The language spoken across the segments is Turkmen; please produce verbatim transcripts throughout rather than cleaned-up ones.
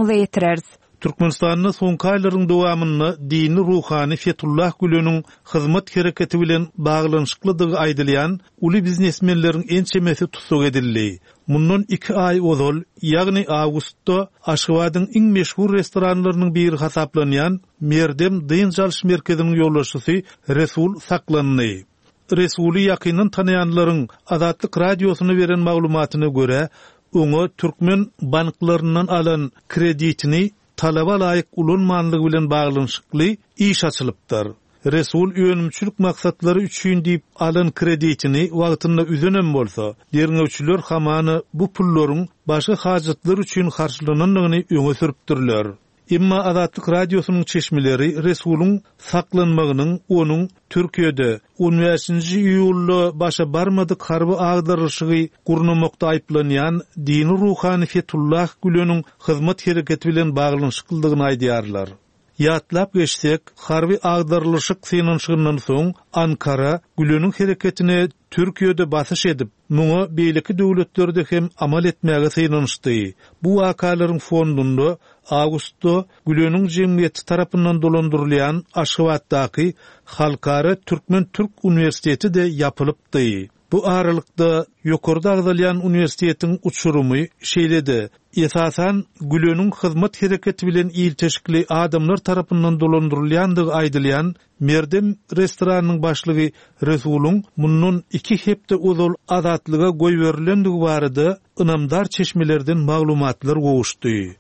Dykgatyňyza ýetireris. Türkmenistanda soňky aýlaryň dowamynda dini ruhany Fetullah Güleniň hyzmat hereketi bilen baglanyşyklydygy aýdylýan uly biznesmenleriň ençemesi tussag edildi. Mundan iki aý ozal, ýagny awgustda Aşgabadyň iň meşhur restoranlarynyň biri hasaplanýan Merdem dynç alyş merkeziniň ýolbaşçysy Resul saklandy. Resuly ýakyndan tanaýanlaryň Azatlyk Radiosyna beren maglumatyna görä, oňa türkmen banklaryndan alan kreditini talaba laýyk ulanmanlygy bilen baglanyşykly iş açylypdyr. Resul önümçilik maksatlary üçin diýip alan kreditini wagtynda üzenem bolsa, derňewçiler hamana bu pullaryň başga hajatlar üçin harçlanandygyny öňe sürüpdirler. Emma Azatlyk Radiosynyň çeşmeleri Resulyň saklanmagynyň onuň Türkiýede on bäşinji iýulda başa barmadyk harby agdarylyşygy gurnamakda aýyplanýan dini ruhany Fetullah Güleniň hyzmat hereketi bilen baglanyşyklydygyny aýdýarlar. Ýatlap geçsek, harby agdarylyşyk synanyşygyndan soň Ankara Güleniň hereketine Türkiýede basyş edip, muňa beýleki döwletlerde hem amal etmäge synanyşdy. Bu wakalaryň fondunda awgustda Güleniň jemgyýeti tarapyndan dolandyrylýan Aşgabatdaky Halkara Türkmen-Türk uniwersiteti de ýapylypdy. Bu aralykda ýokarda agzalýan uniwersitetiň uçurumy şeýle-de esasan Güleniň hyzmat hereketi bilen ilteşikli adamlar tarapyndan dolandyrylýandygy aýdylýan Merdem restoranynyň başlygy Resulyň mundan iki hepde ozal azatlyga goýberilendigi barada ynamdar çeşmelerden maglumatlar gowuşdy.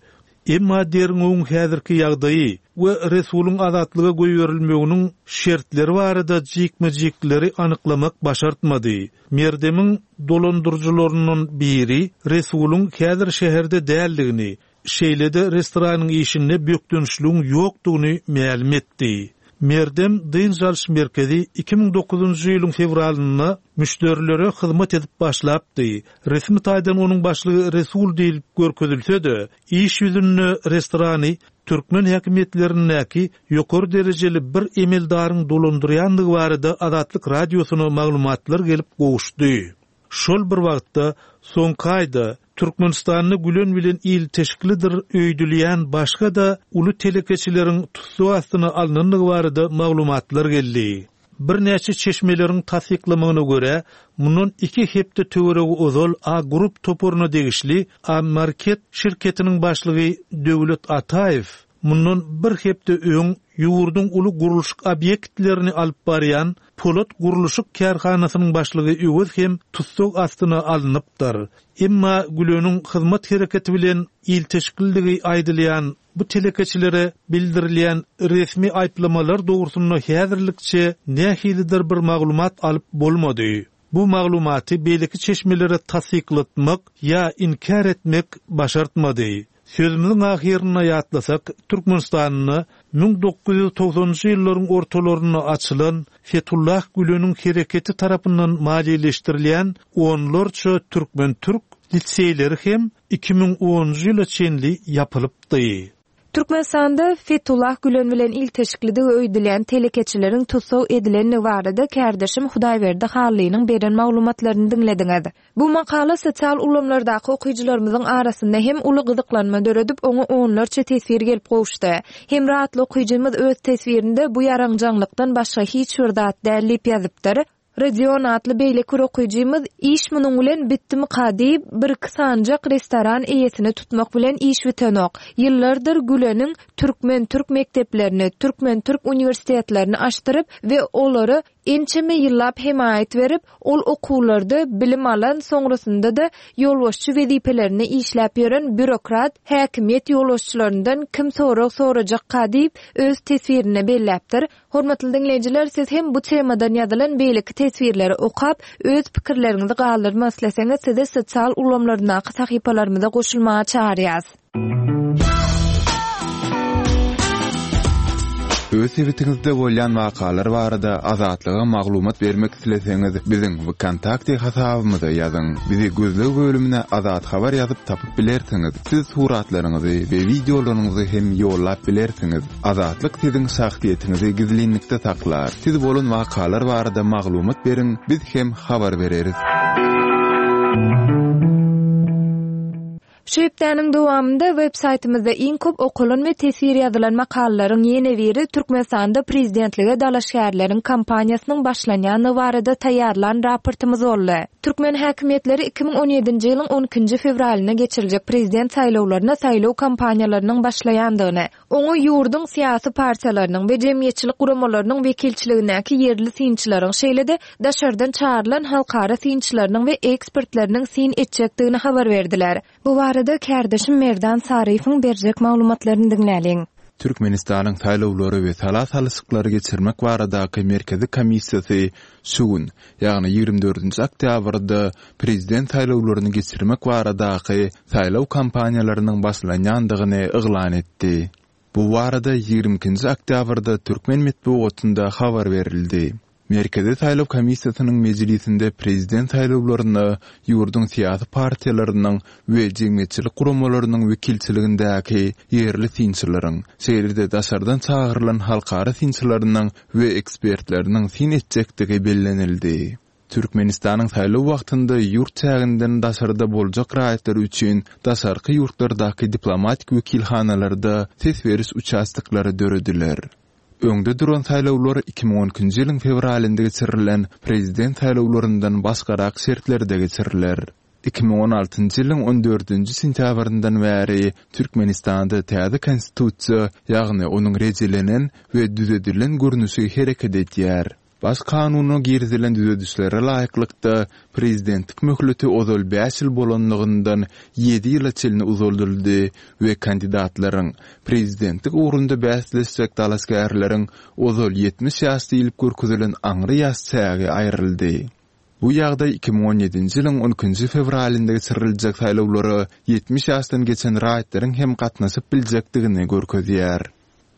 Emma derňewiň häzirki ýagdaýy we Resulyň azatlyga goýberilmeginiň şertleri barada jikme-jikleri anyklamak başartmady. Merdemiň dolandyryjylaryndan biri Resulyň häzir şäherde däldigini, şeýle-de restoranyň işinde bökdençligiň ýokdugyny mälim etdi. Merdem dynç alyş merkezi iki müň dokuzynjy ýylyň fewralynda müşderilere hyzmat edip başlapdy. Resmi taýdan onuň başlygy Resul diýilip görkezilse-de, iş ýüzünde restorany türkmen häkimiýetlerindäki ýokary derejeli bir emeldaryň dolandyrýandygy barada Azatlyk Radiosyna maglumatlar gelip gowuşdy. Şol bir wagtda soňky aýda Türkmenistanda Gülen bilen ilteşiklidir öýdülýän başga-da uly telekeçileriň tussag astyna alnandygy barada maglumatlar geldi. Birnäçe çeşmeleriň tassyklamagyna görä, mundan iki hepde töweregi ozal A Group toparyna degişli A Market şirketiniň başlygy Döwlet Ataýew mundan bir hepde öň ýurduň uly gurluşyk obýektlerini alyp barýan Polat gurluşyk kärhanasynyň başlygy Öwez hem tussag astyna alnypdyr. Emma Güleniň hyzmat hereketi bilen ilteşikliligi aýdylýan bu telekeçilere bildirilýän resmi aýyplamalar dogrusynda häzirlikçe nähilidir bir maglumat alyp bolmady. Bu maglumaty beýleki çeşmelere tassyklatmak ýa inkär etmek başartmady. Sözümiziň ahyrynda ýatlasak, Türkmenistanda müň dokuz ýüz togsanynjy ýyllaryň ortalarynda açylan Fetullah Güleniň hereketi tarapyndan maliýeleşdirilýän onlarça türkmen-türk liseýleri hem iki müň onunjy ýyla çenli ýapylypdy. Türkmenistanda Fetullah Gülen bilen ilteşiklidigi öýdülýän telekeçileriň tussag edilenligi barada kärdeşim Hudaýberdi Hallynyň beren maglumatlaryny diňlediňiz. Bu makala sosial ulgamlardaky okyjylarymyzyň arasynda hem uly gyzyklanma döredip, oňa onlarça teswir gelip gowuşdy. Hem rahatly okyjymyz öz teswirinde bu ýaraňjaňlykdan başga hiç bir zat däl diýip ýazypdyr. Rodion atly beýleki bir okyjymyz iş munuň bilen bitdimika diýip, bir iki sanjak restoran eýesini tutmak bilen iş bitenok. Ýyllardyr Güleniň türkmen-türk mekdeplerini, türkmen-türk uniwersitetlerini açdyryp we olara ençeme ýyllap hemaýat berip, ol okuwlarda bilim alan, soňrasynda da ýolbaşçy wezipelerini işläp ýören bürokrat häkimiýet ýolbaşçylaryndan kim sorag sorajakka diýip öz teswirine belläpdir. Hormatly dinleýjiler, siz hem bu temadan ýazylan beýleki teswirleri okap, öz pikirleriňizi galdyrmak isleseňiz, sizi sosial ulgamlardaky sahypalarymyza goşulmaga çagyrýarys. Öz sebitiňizde bolýan wakalar barada Azatlyga maglumat bermek isleseňiz, biziň VKontakte hasabymyza ýazyň. Bizi gözleg bölümine Azat Habar ýazyp tapyp bilersiňiz. Siz suratlaryňyzy we wideolaryňyzy hem ýollap bilersiňiz. Azatlyk siziň şahsyýetiňizi gizlinlikde saklar. Siz bolan wakalar barada maglumat beriň, biz hem habar bereris. Şu hepdäniň dowamynda web saýtymyzda iň köp okalan we teswir ýazylan makalalaryň ýene biri Türkmenistanda prezidentlige dalaşgärleriň kampaniýasynyň başlanýandygy barada taýýarlan raportymyz boldy. Türkmen häkimiýetleri iki müň on ýedinji ýylyň on ikinji fewralynda geçiriljek prezident saýlawlaryna saýlaw kampaniýalarynyň başlaýandygyny, oňa ýurduň syýasy partiýalarynyň we jemgyýetçilik guramalarynyň wekilçiligindäki ýerli synçylaryň, şeýle-de daşardan çagyrylan halkara synçylarynyň we ekspertleriniň syn etjekdigini habar berdiler. Bu barada kärdeşim Merdan Saryýewiň berjek maglumatlaryny diňläliň. Türkmenistanyň saýlawlary we sala salyşyklary geçirmek baradaky Merkezi komissiýasy şu gün, ýagny ýigrimi dördünji oktýabrda prezident saýlawlaryny geçirmek baradaky saýlaw kampaniýalarynyň başlanýandygyny yglan etdi. Bu barada ýigrimi ikinji oktýabrda türkmen metbugatynda habar berildi. Merkezi saýlaw komissiýasynyň mejlisinde prezident saýlawlaryna ýurduň syýasy partiýalarynyň we jemgyýetçilik guramalarynyň wekilçiligindäki ýerli synçylaryň, şeýle-de daşardan çagyrylan halkara synçylarynyň we ekspertleriniň syn etjekdigi bellenildi. Türkmenistanyň saýlaw wagtynda ýurt çäginden daşarda boljak raýatlar üçin daşarky ýurtlardaky diplomatik wekilhanalarda ses beriş uçastoklary dörediler. Öňde duran saýlawlar iki müň on ikinji ýylyň fewralynda geçirilen prezident saýlawlaryndan başgarak şertlerde geçiriler. Iki müň on altynjy ýylyň on dördünji sentýabryndan bäri Türkmenistanda täze konstitusiýa, ýagny onuň rejelenen we düzedilen görnüşi hereket edýär. Baş kanuna girizilen düzedişlere laýyklykda, prezidentlik möhleti ozal bäş ýyl bolanlygyndan ýedi ýyla çenli uzaldyldy we kandidatlaryň, prezidentlik ugrunda bäsleşjek dalaşgärleriň ozal ýetmiş ýaş diýlip görkezilen aňry ýaş çägi aýryldy. Bu ýagdaý iki müň on ýedinji ýylyň on ikinji fewralynda geçiriljek saýlawlara ýetmiş ýaşdan geçen raýatlaryň hem gatnaşyp biljekdigini görkezýär.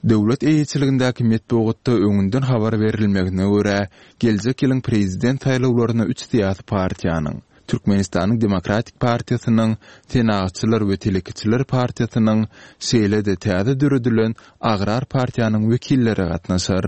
Döwlet eýeçiligindäki metbugatda öňünden habar berilmegine görä, geljek ýylyň prezident saýlawlaryna üç syýasy partiýanyň, Türkmenistanyň Demokratik partiýasynyň, Senagatçylar we telekeçiler partiýasynyň, şeýle-de täze döredilen Agrar partiýanyň wekilleri gatnaşar.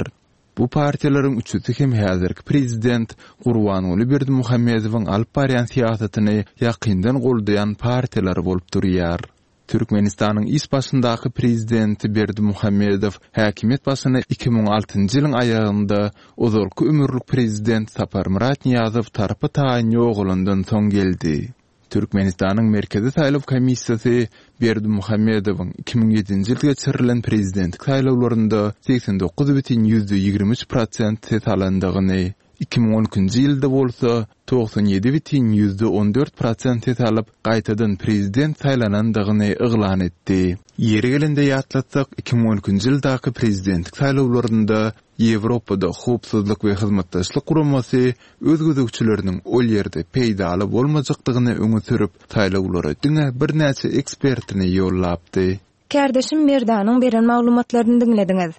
Bu partiýalaryň üçüsi hem häzirki prezident Gurbanguly Berdimuhamedowyň alyp barýan syýasatyny ýakyndan goldaýan partiýalar bolup durýar. Türkmenistanyň iş başyndaky prezidenti Berdimuhamedow häkimiýet başyna iki müň altynjy ýylyň aýagynda ozalky ömürlik prezident Saparmyrat Nyýazow tarpy taýyn ýogalandan soň geldi. Türkmenistanyň Merkezi saýlaw komissiýasy Berdimuhamedowyň iki müň ýedinji ýylda geçirilen prezidentlik saýlawlarynda segsen dokuz bütin ýüzde ýigrimi üç prosent ses alandygyny, iki müň on ikinji ýylda bolsa togsan ýedi bütin ýüzde on dört prosent ses alyp, gaýtadan prezident saýlanandygyny yglan etdi. Ýeri gelende ýatlatsak, iki müň on ikinji ýyldaky prezidentlik saýlawlarynda Ýewropada Howpsuzlyk we Hyzmatdaşlyk Guramasy öz gözegçileriniň ol ýerde peýdaly bolmajakdygyny öňe sürüp, saýlawlara diňe birnäçe ekspertini ýollapdy. Kärdeşim Merdanyň beren maglumatlaryny diňlediňiz.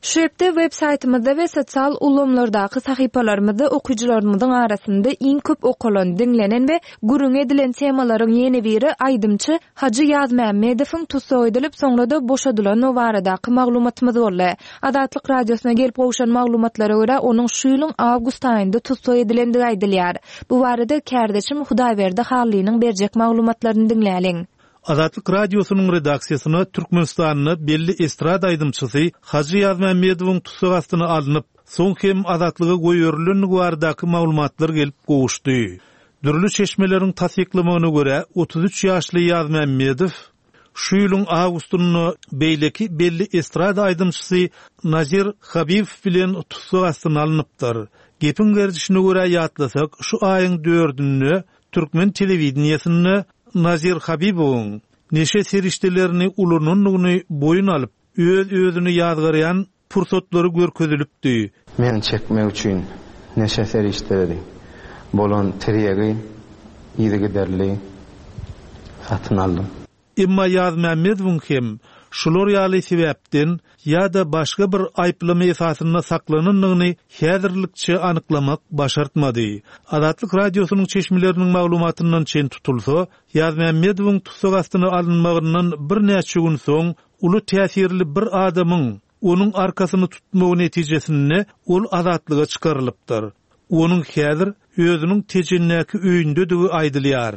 Şu hepde web saýtymyzda we sosial ulgamlardaky sahypalarymyzda okyjylarymyzyň arasynda iň köp okalan, diňlenen we gürrüň edilen temalaryň ýene biri aýdymçy Hajy Ýazmämmedowyň tussag edilip, soňra-da boşadylandygy baradaky maglumatymyz boldy. Azatlyk Radiosyna gelip gowşan maglumatlara görä, onuň şu ýylyň awgust aýynda tussag edilendigi aýdylýar. Bu barada kärdeşim Hudaýberdi Hallynyň berjek maglumatlaryny diňläliň. Azatlyk Radiosynyň redaksiýasyna Türkmenistanda belli estrada aýdymçysy Hajy Ýazmämmedowyň tussag astyna alnyp, soň hem azatlyga goýberilendigi baradaky maglumatlar gelip gowuşdy. Dürli çeşmeleriň tassyklamagyna görä, otuz üç ýaşly Ýazmämmedow şu ýylyň awgustynda beýleki belli estrada aýdymçysy Nazir Habibow bilen tussag astyna alnypdyr. Gepiň gerdişine görä ýatlasak, şu aýyň dördünde türkmen telewideniýesinde Nazir Habibowyň neşe serişdelerini ulanandygyny boýun alyp, öz-özüni ýazgarýan pursatlary görkezilipdi. Men çekmek üçin neşe serişdeleri bolan tirýegi yzygiderli satyn aldym. Emma Ýazmämmedowyň hem şular ýaly sebäpden ýa-da başga bir aýyplama esasynda saklanandygyny häzirlikçe anyklamak başartmady. Azatlyk Radiosynyň çeşmeleriniň maglumatyndan çen tutulsa, Ýazmämmedowyň tussag astyna alynmagyndan birnäçe gün soň uly täsirli bir adamyň onuň arkasyny tutmagy netijesinde ol azatlyga çykarylypdyr. Onuň häzir özüniň Tejendäki öýündedigi aýdylýar.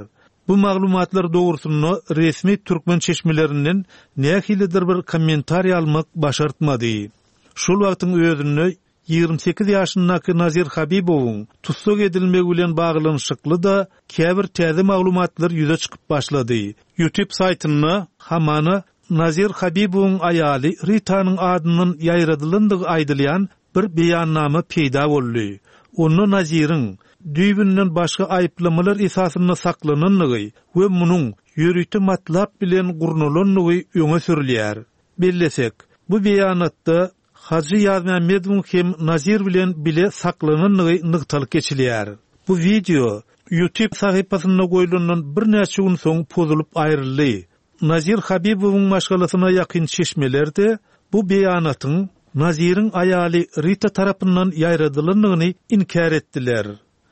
Bu maglumatlar dogrusynda resmi türkmen çeşmelerinden nähilidir bir kommentariý almak başartmady. Şol wagtyň özünde ýigrimi sekiz ýaşyndaky Nazir Habibowyň tussag edilmegi bilen baglanyşykly-da käbir täze maglumatlar ýüze çykyp başlady. YouTube saýtynda hamana Nazir Habibowyň aýaly Ritanyň adyndan ýaýradylandygy aýdylýan bir beýannama peýda boldy. Onda Naziriň düýbünden başga aýyplamalar esasynda saklanandygy we munuň ýörite matlap bilen gurnalandygy öňe sürülýär. Bellesek, bu beýanatda Hajy Ýazmämmedowyň hem Nazir bilen bile saklanandygy nygtalyp geçilýär. Bu wideo YouTube sahypasynda goýlandan birnäçe gün soň pozulyp aýryldy. Nazir Habibowyň maşgalasyna ýakyn çeşmelerde bu beýanatyň Naziriň aýaly Rita tarapyndan ýaýradylandygyny inkär etdiler.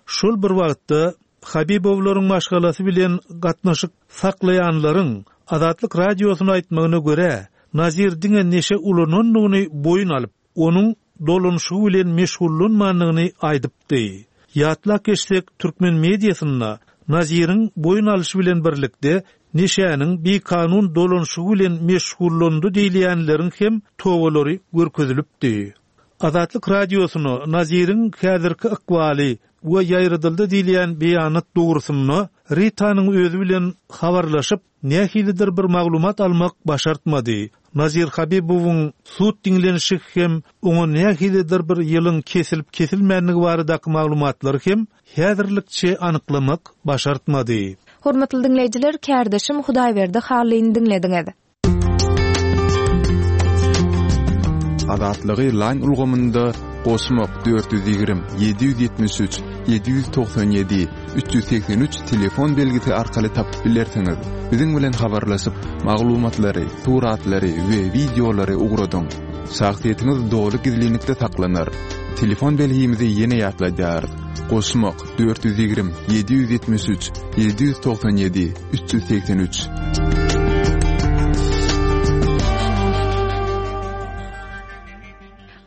Şol bir wagtda Habibowlaryň maşgalasy bilen gatnaşyk saklaýanlaryň Azatlyk radiosyna aýtmagyna görä, Nazir diňe neşe ulanandygyny boýun alyp, onuň dolanyşygy bilen meşgullanmandygyny aýdypdy. Ýatlap geçsek, türkmen mediasynda Naziriň boýun alyşy bilen birlikde neşäniň bikanun dolanyşygy bilen meşgullandy diýilýänleriň hem towalary görkezilipdi. Azatlyk radiosyna Naziriň häzirki ykbaly we ýaýradyldy diýilýän beýanat dogrusynda Ritanyň özi bilen habarlaşyp, nähilidir bir maglumat almak başartmady. Nazir Habibowyň sud diňlenişi hem oňa nähilidir bir ýylyň kesilip kesilmänligi baradaky maglumatlary hem häzirlikçe anyklamak başartmady. Hormatly diňleýjiler, kärdeşim Hudaýberdi Hallyny diňlediňiz. Azatlygy line ulgamynda goşmak dört ýüz ýigrimi, ýedi ýüz ýetmiş üç, ýedi ýüz togsan ýedi, üç ýüz segsen üç telefon belgisi arkaly tapyp bilersiňiz. Biziň bilen habarlaşyp, maglumatlary, suratlary we wideolary ugradyň. Şahsyýetiňiz doly gizlinlikde saklanar. Telefon belgimizi ýene ýatladýarys. Goşmak dört ýüz ýigrimi, ýedi ýüz ýetmiş üç, ýedi ýüz togsan ýedi, üç ýüz segsen üç.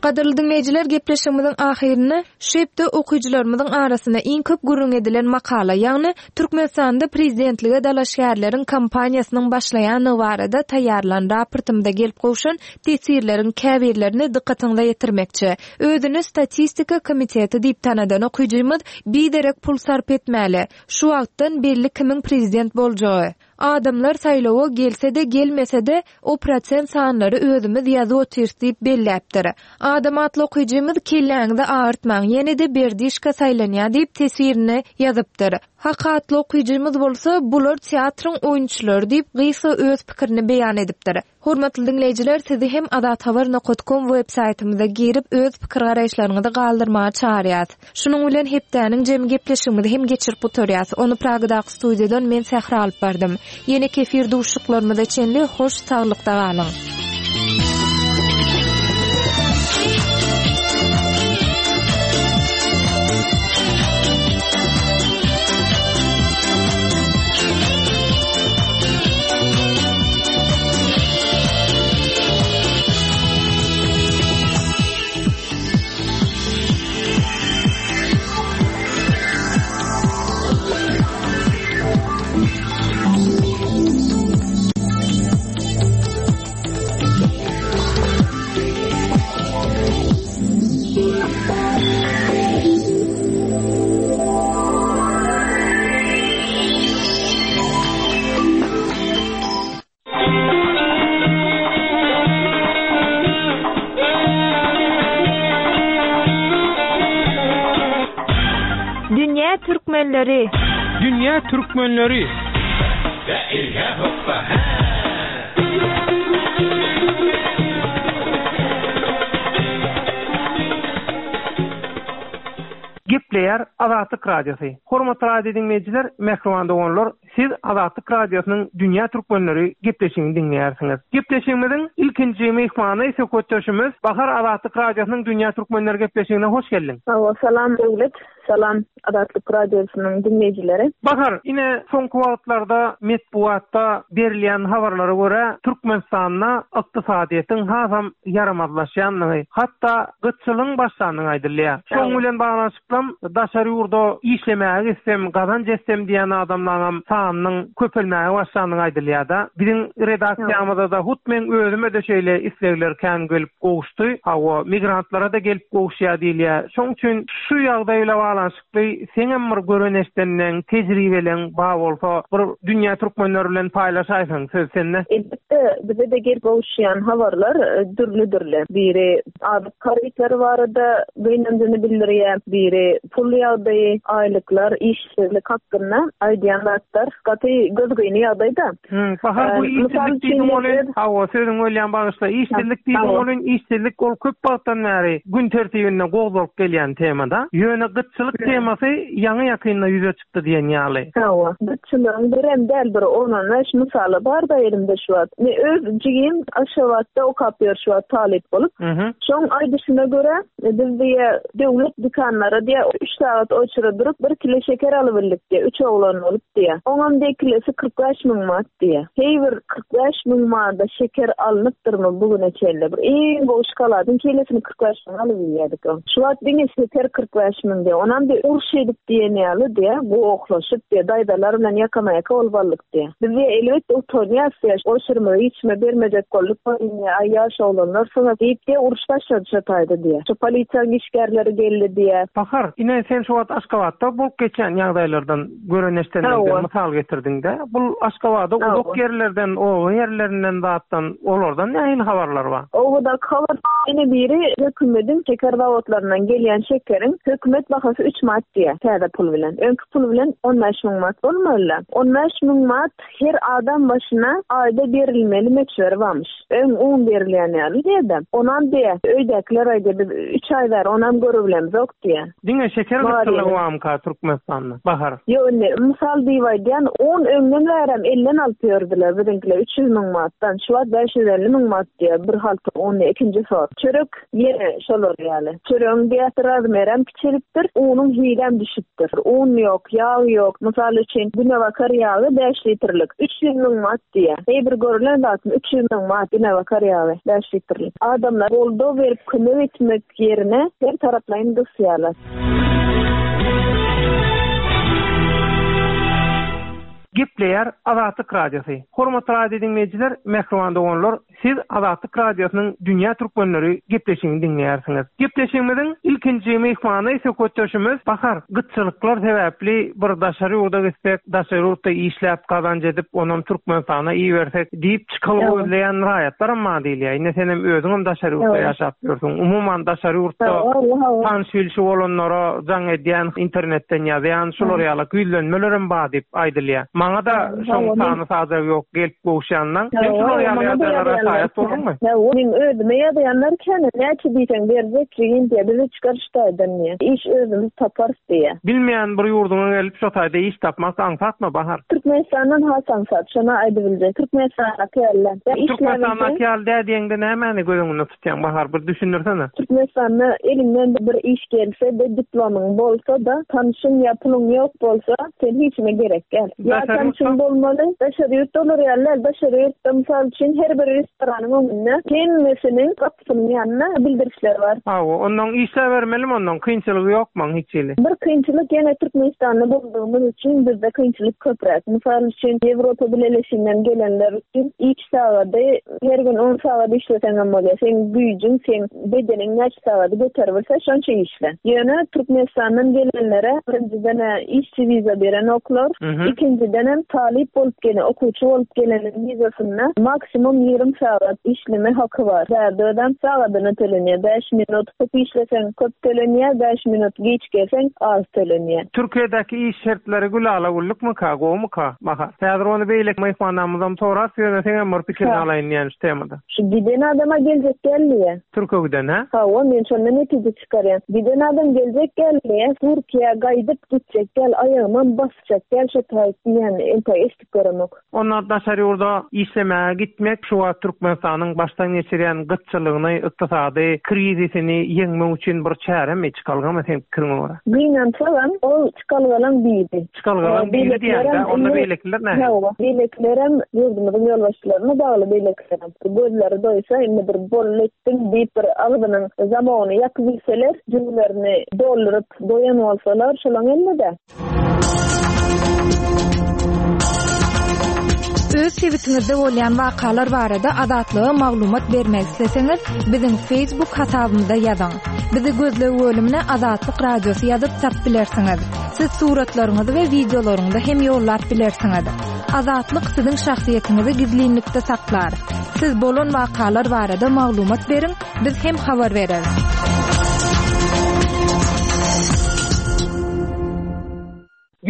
Gadyrly diňleýjiler, gepleşigimiziň ahyrynda şu hepde okyjylarymyzyň arasynda iň köp gürrüň edilen makala, ýagny Türkmenistanda prezidentlige dalaşgärleriň kampaniýasynyň başlaýanlygy barada taýýarlan raportymyza gelip gowşan teswirleriň käbirlerini dykgatyňyza ýetirmekçi. Özüni statistika komiteti diýip tanadan okyjymyz biderek pul sarp etmäli. Şu wagtdan belli kimiň prezident boljagy. Adamlar saýlawa gelse-de gelmese-de o prosent sanlary özümiz ýazyp otyrys diýip belläpdir. Adam atly okyjymyz kelläňizi agyrtmaň, ýene-de berdişka saýlanýar diýip teswirini ýazypdyr. Hak atly okyjymyz bolsa bular teatryň oýunçylary diýip gysga öz pikirini beýan edipdir. Hormatly diňleýjiler, sizi hem azathabar nokta com web saýtymyza girip öz pikir garaýyşlaryňyzy galdyrmaga çagyrýas. Şunuň bilen hepdäniň jemi gepleşigimizi hem geçirip gutarýas. Ony Pragadaky studiýadan men Sähra alyp bardym. Ýene kefir duşuşyklarymyza çenli hoş saglykda galyň. Dünýä Türkmenleri. Dünýä Türkmenleri. Gepleýär Azatlyk Radiosy. Hormatly radio dinleýjiler, mähriban doganlar, Siz Azatlyk Radiosynyň Dünýä Türkmenleri gepleşigini diňleýärsiňiz. Gepleşigimiziň ilkinji myhmany söhbetdeşimiz Bahar Azatlyk Radiosynyň Dünýä Türkmenleri gepleşigine hoş geldiň. Salam, salam Döwlet, salam Azatlyk Radiosynyň dinleýjileri. Bahar, ine soňky wagtlarda metbugatda berilýän habarlara görä Türkmenistanda ykdysadyýetiň hasam ýaramazlaşýandygy, hatda gytçylygyň başlandygy aýdylýar. Şoň bilen baglanyşykly daşary ýurda işlemäge gitsem, gazanç etsem diýen adamlaryň sanynyň köpelmäge başlandygy aýdylýar-da. Biziň redaksiýamyzda da hut men özüme de şeýle islegler kän gelip gowuşdy. Hawa, migrantlara da gelip gowuşýar diýilýär. Şoň üçin şu ýagdaýla baglanyşykly seňem bir gören eşdenden, tejribeleň bar bolsa, bir dünýä türkmenleri bilen paýlaşaýsaň söz sende. Elbetde bize de gelip gowuşýan habarlar e, dürli-dürli. Biri azyk harytlary barada gynanjyny bildirýär, biri pul ýagdaýy, aýlyklar, işsizlik hakynda aýdýan zatlar gaty gözgyny ýagdaýda. Hmm, Bahar bu Ee, mysal işsizlik diýdiň üçin ony, biz- hawa sözüň ölýän bagyşla, işsizlik diýdiň Hawa. ony, işsizlik ol köp wagtdan bäri gün tertibinde gozgalyp gelýän temada. Ýöne gytçylyk temasy ýaňy ýakynda ýüze çykdy diýen ýaly. Hawa, gytçylygyň birem däl bir on bäş mysaly bar da elimde şu wagt. Men öz jigim Aşgabatda okap ýör şu wagt talyp bolup. Mhm. Şoň aýdyşyna görä biz diýe döwlet dükanlara diýe üç sagat oçura durup bir kilo şeker alybildik diýe, üç oglan bolup diýe. Oňam diýe kilesi kyrk bäş müň manat diýe. Hey bir kyrk bäş müň manada şeker alnypdyrmy bugüne çenli? Bir iň gowy şokoladyň kilesini kyrk bäş müň alyp ýerdik. Şu wagt diňe şeker kyrk bäş müň diýe. Onam diýe uruş edip diýen ýaly diýe, gohlaşyp diýe, daýzalar bilen ýakama-ýaka bolup aldyk diýe. Biz diýe elbetde utanýas diýe, oşurymyzy içme bermejek bolduk, diýe, aý ýaş oglanlar soňa diýip diýe uruş başlady şu taýda diýe. Şu polisiýanyň işgärleri geldi diýe. Bahar, ine sen şu wagt Aşgabatda bolup geçen ýagdaýlardan gören eşdenlerden Hawa. mysal getirdiň-de. Bu Aşgabatda Hawa. uzak ýerlerden, oba ýerlerinden zatdan, olardan nähili habarlar bar? Obadaky habar ýene biri hökümetiň şeker zawodlaryndan gelýän şekeriň hökümet bahasy üç manat diýe, täze pul bilen. Öňki pul bilen on bäş müň manat bolmaly. On bäş müň manat her adam başyna aýda berilmeli möçberi barmyş. Öň un berilýän ýaly diýe-de. Onam diýe, öýdäkiler aýda biz üç aý bar, onam görübilemiz yok diýe. Diňe şeker Bar gytçylygy ýeri. barmyka Türkmenistanda? Bahar. Ýok, indi mysal diýip aýdýan, on öňden bärem elden alyp ýördüler biziňkiler üç ýüz müň manatdan, şu wagt bäş ýüz elli müň manat diýe, bir halta un ikinji sort. Çörek ýene şolar ýaly. Çöregiň diýe razmerem kiçelipdir, unuň hilem düşüpdir. Un ýok, ýag ýok. Mysal üçin günebakar ýagy bäş litrlik üç ýüz müň manat diýe. Hey bir görülen zatmy üç ýüz müň manat günebakar ýagy bäş litrlik. Adamlar goldaw berip kömek etmek ýerine her taraplaýyn gysýarlar. Gepleýär Azatlyk Radiosy. Hormatly radio dinleýjiler, mähriban doganlar, siz Azatlyk Radiosynyň Dünýä Türkmenleri gepleşigini diňleýärsiňiz. Gepleşigimiziň ilkinji myhmany söhbetdeşimiz Bahar. Gytçylyklar sebäpli bir daşary ýurda gitsek, daşary ýurtda işläp gazanç edip, onam Türkmenistana ibersek diýip çykalyp Evet. gözleýän raýatlar hem bar diýilýär. Ine sen hem özüň hem daşary ýurtda Evet. ýaşap ýörsüň. Umuman daşary ýurtda Hawa, hawa. tanyş bilşi bolanlara jaň edýän, internetden ýazýan, şular ýaly güýlenmeler hem bar diýip aýdylýar. Maňa da Hawa, şoň men- sany sajagy ýok, gelip gowuşýandan. Sen şular ýaly Hawa, maňa da ýagdaýlara ýazýanlar şaýat bolduňmy? Hawa, men özüme ýazýanlar kän, näçe diýseň berjek jigim diýe, bizi çykar şu taýdan diýe. Iş özümiz taparys diýe. Bilmeýän bir ýurduňa gelip şo taýda iş tapmak aňsatmy Bahar? Türkmenistandan has aňsat, şona aýdybiljek. Türkmenistandaky ýaly. Ýa Türkmenistandaky işläbilseň- ýaly dä diýeňde nämäni göz öňünde tutýaň Bahar, bir düşündirsene. Türkmenistanda eliňden bir iş gelse de diplomyň bolsa da, tanışyň ýa puluň ýok bolsa, sen hiç kime gerek gel. Ýa Daşary tanışyň ýurtda? bolmaly, daşary ýurtda olar ýaly, daşary ýurtda mysal üçin her bir restoranyň öňünde hemmesiniň gapysynyň ýanynda bildirişler bar. Hawa, ondan işläp bermelimi ondan kynçylygy ýokmy hiç hili? Bir kynçylyk ýene Türkmenistanda bolduğumuz üçin bizde kynçylyk köpräk. Mysal üçin Ýewropa Bileleşiginden gelenler üçin iş sagady her gün on sagat işleseň hem bolýar. Sen güýjüň, sen bedeniň näçe sagady göterip bilse şonça işle. Ýöne Türkmenistandan gelenlere birinjiden işçi wiza beren oklar, Mhm. ikinjiden hem talyp bolup gelen, okuwçy bolup geleniň wizasynda maksimum ýigrimi sagat işleme haky bar. Bärde ödem sagadyna tölenýär. Bäş minut köp işleseň köp tölenýär, bäş minut geç gelseň az tölenýär. Türkiýedäki iş şertleri gülala güllükmika, gowmyka? Bahar. Häzir ony beýleki myhmanlarymyzam sorar, ýöne sen hem bir pikirini Ha. alaýyn diýen şu temada. Şu giden adama geljek geldi. Türkiýeden, ha? Hawa, men şondan netije çykarýan. Giden adam geljek geldi, Türkiýä gaýdyp gitjek gel, aýagymam basjak gel şu taýt diýen diýýän entek eşidip göremok. Onda daşary ýurda işlemäge gitmek şu wagt Türkmenistanyň başdan geçirýän gytçylygyny, ykdysady krizisini ýeňmek üçin bir çäremi, çykalgamy sen pikiriňe görä? Gynansagam ol çykalgalaň biri. Çykalgalaň biri diýende, onda beýlekiler näme? Hawa, beýlekilerem ýurdumyzyň ýolbaşçylaryna bagly beýlekilerem. Gözleri doýsa indi bir bolly etdim diýip bir agzynyň zamogyny ýapyp bilseler, jübülerini dolduryp doýan bolsalar, şolaň elinde. Öz sebitiňizde bolýan wakalar barada Azatlyga maglumat bermek isleseňiz, biziň Facebook hasabymyza ýazyň. Bizi gözleg bölümine Azatlyk Radiosy ýazyp tap bilersiňiz. Siz suratlaryňyzy we wideolaryňyzy hem ýollap bilersiňiz. Azatlyk siziň şahsyýetiňizi gizlinlikde saklar. Siz bolan wakalar barada maglumat beriň, biz hem habar bereris.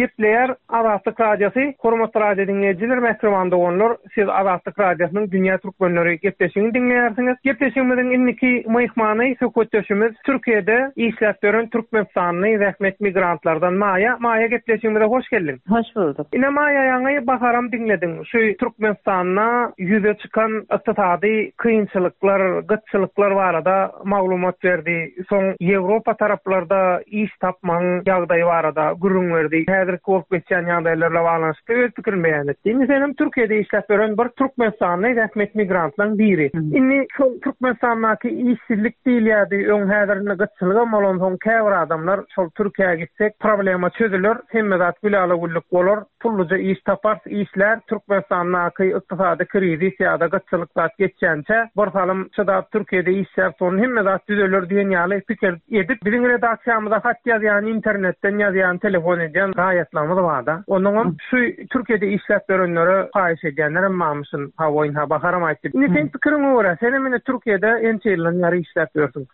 Gepleýär Azatlyk Radiosy, hormatly radio diňleýjiler, mähriban doganlar, siz Azatlyk Radiosynyň Dünýä Türkmenleri gepleşigini diňleýärsiňiz. Gepleşigimiziň indiki myhmany söhbetdeşimiz Türkiýede işläp ýören Türkmenistanly zähmet migrantlardan Maýa. Maýa gepleşigimize hoş geldiň. Hoş bulduk. Ine Maýa ýaňy baharam diňlediň. Şu Türkmenistanda ýüze çykan ykdysady kynçylyklar, gytçylyklar barada maglumat berdi. Soň Ýewropa taraplarda iş tapmagyň ýagdaýy barada gürrüň berdi. Häzirki bolup geçýän ýagdaýlarla baglanyşykly öz pikirini beýan etdi. Indi senem Türkiýede işläp ýören bir Türkmenistanly zähmet migrantlaryň biri. Indi şol Türkmenistandaky işsizlik diýilýärdi, öň häzirinde gytçylygam bolansoň käbir adamlar şol Türkiýä gitsek problema çözüler, hemme zat gülala-güllük bolar, pulluja iş tapar, işler Türkmenistandaky ykdysady krizis ýa-da gytçylyk zat geçýänçe bir salym çydap Türkiýede işläp soň hemme zat düzeler diýen ýaly pikir edip biziň redaksiýamyza hat ýazýan, internetden ýazýan, telefon edýän raýatlarymyz barda. Onuňam şu Türkiýede işläp ýörenlere haýyş edýänler hem mamyşyn, ha oýun ha baharam aýtdy. Indi sen pikiriňe görä, sen hem indi Türkiýede ençe ýyldan bäri işläp ýörsüň.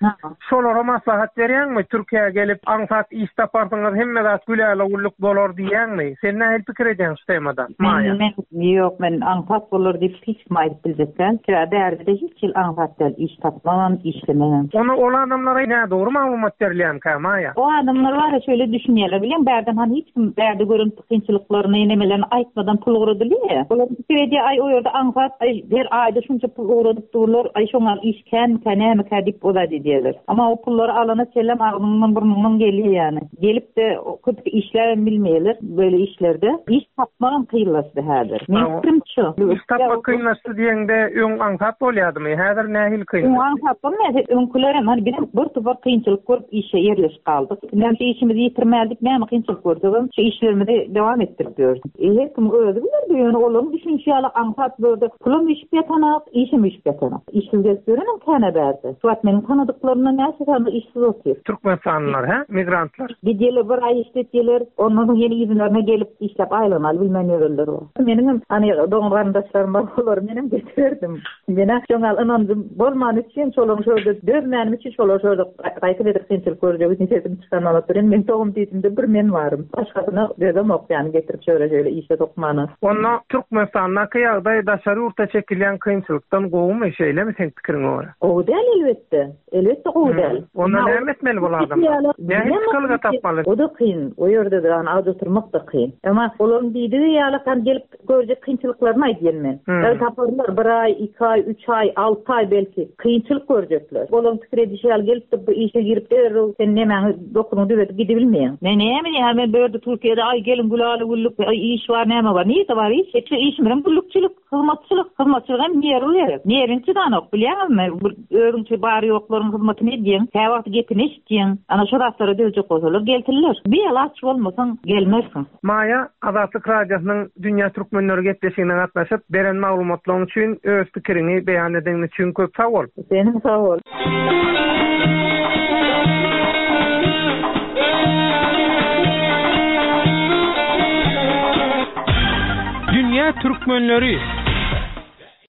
Şolara maslahat berýäňmi? Türkiýä gelip aňsat iş taparsyňyz, hemme zat gülala-güllük bolar diýýäňmi? Sen nähili pikir edýäň şu temada? Maýa. Men, ýok, men aňsat bolar diýip hiç kim aýdyp biljek däl. Sebäbi bärde hiç ýyl aňsat däl iş tapmagam, işlemegem. Ona ol adamlara nädogry maglumat berilýärmikä, Maýa? O adamlar bar ya şöyle düşünýärler, bilýän bärden han hiç kim bärde gören kynçylyklaryny nemelerini aýtmadan pul ugradylýar. Olar pikir edýär, aý o ýerde aňsat, aý her aýda şunça pul ugradyp durlar, aý şoňa iş känmikä, nämika diýip o zat edýärler. Ama o pullary alana çenlem agzyňdan burnuňdan gelýär ýani. Gelip de köp işläp bilmeýärler böyle işlerde. Iş tapmagam kynlaşdy häzir. Men pikirim şu. Iş tapmak kynlaşdy diýende öň aňsat bolýardymy? Häzir nähili kyn? Öň aňsat bolmaýar. Öňkülerem hani bizim bir topar kynçylyk görüp işe ýerleşip galdyk. Näme işimizi ýitirmäldik, näme kynçylyk görsegem şu işlerimizi dewam etdirip ýörüs. E, her kim özi bilerdi, ýöne olaryň düşünişi ýaly aňsat boldy. Pulum işip ýatanak, işim işip ýatanak. Işsiz gezip ýörenem käne berdi. Şu wagt meniň tanadyklarymdan näçe sany işsiz otyr. Türkmenistanlylar, hä? Migrantlar. Gidýärler bir aý işletýärler, ondan soň ýene ýüzlerine gelip işläp aýlanaly bilmän ýörürler o. Meniň hani dogan garyndaşlarym bar, olary menem getirdim. Mena şoňa ynandym bolman üçin şolaryň şöyle dözmänim üçin şolar şöyle gaýta edip kynçylyk görjek üçin sesim çykarmaly oturyn. Men togum diýdim bir men varym. Başgasyna dözem ok ýani getirip şöyle şöyle işe sokmana. Onda Türkmenistandaky ýagdaý daşary ýurtda çekilýän kynçylykdan gowumy, şeýlemi sen pikiriňe görä? Gowy däl elbetde. Elbetde gowy däl. Onda näme etmeli bu adamlar? Näme çykalga tapmaly? O da kyn. O ýerde de yani aç oturmak da kyn. Ama olaryň diýdigi ýaly kan gelip görjek kynçylyklaryny aýdýan men. El taparlar bir aý, iki aý, üç aý, alty aý belki kynçylyk görjekler. Olaryň pikir edişi ýaly gelip de bu işe girip derrew sen nämäňi dokunyňy düzetip gidibilmeýäň. Men näme diýýän, men bu ýerde Türkiýede aý gelin gülala güllük, aý iş bar, näme bar? Nirede bar iş? Şu işimizem güllükçilik, hyzmatçylyk, hyzmatçylyk hem nerwi gerek. Nerwiň çydanok, bilýäňizmi? Bir özüňçe bar ýoklaryň hyzmatyny edýäň, käwagt gepini eşitýäň. Ana şu zatlara dözjek bolsalar gelsinler. Bir alaç bolmasaň gelmersiň. Maýa Azatlyk Radiosynyň Dünýä Türkmenleri gepleşigine gatnaşyp beren maglumatlaryň üçin öz pikiriňi beýan edeniň üçin köp sag bol. Seniň sag bol. Dünýä Türkmenleri.